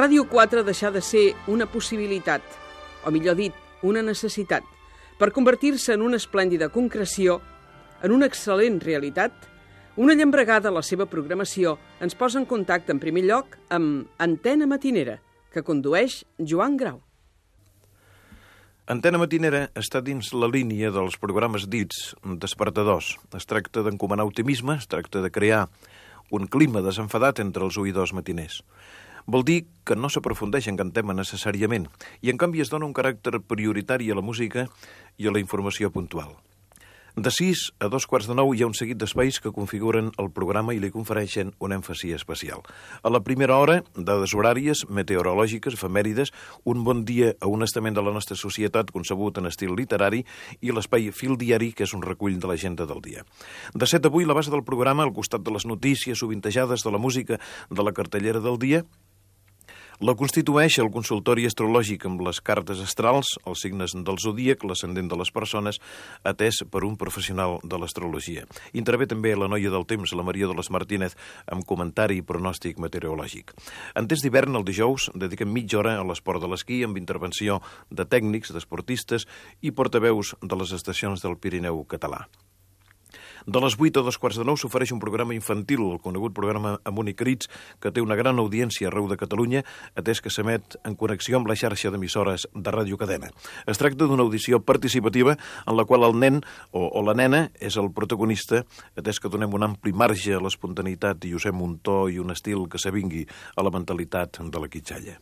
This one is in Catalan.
Ràdio 4 deixar de ser una possibilitat, o millor dit, una necessitat, per convertir-se en una esplèndida concreció, en una excel·lent realitat. Una llambregada a la seva programació ens posa en contacte en primer lloc amb Antena Matinera, que condueix Joan Grau. Antena Matinera està dins la línia dels programes dits despertadors. Es tracta d'encomanar optimisme, es tracta de crear un clima desenfadat entre els oïdors matiners. Vol dir que no s'aprofundeix en cap tema necessàriament i, en canvi, es dona un caràcter prioritari a la música i a la informació puntual. De 6 a 8:45 hi ha un seguit d'espais que configuren el programa i li confereixen un èmfasi especial. A la primera hora, dades horàries, meteorològiques, efemèrides, un bon dia a un estament de la nostra societat concebut en estil literari i l'espai Fil Diari, que és un recull de l'agenda del dia. De 7 a 8, la base del programa, al costat de les notícies sovintejades, de la música, de la cartellera del dia, la constitueix el consultori astrològic amb les cartes astrals, els signes del zodíac, l'ascendent de les persones, atès per un professional de l'astrologia. Intervé també la noia del temps, la Maria Dolors Martínez, amb comentari i pronòstic meteorològic. En temps d'hivern, el dijous, dediquem mitja hora a l'esport de l'esquí, amb intervenció de tècnics, d'esportistes i portaveus de les estacions del Pirineu català. De les 8 a 8:45 s'ofereix un programa infantil, el conegut programa Amunt i Crits, que té una gran audiència arreu de Catalunya, atès que s'emet en connexió amb la xarxa d'emissores de Ràdio Cadena. Es tracta d'una audició participativa en la qual el nen o la nena és el protagonista, atès que donem un ampli marge a l'espontaneïtat i usem un to i un estil que s'avingui a la mentalitat de la quitxalla.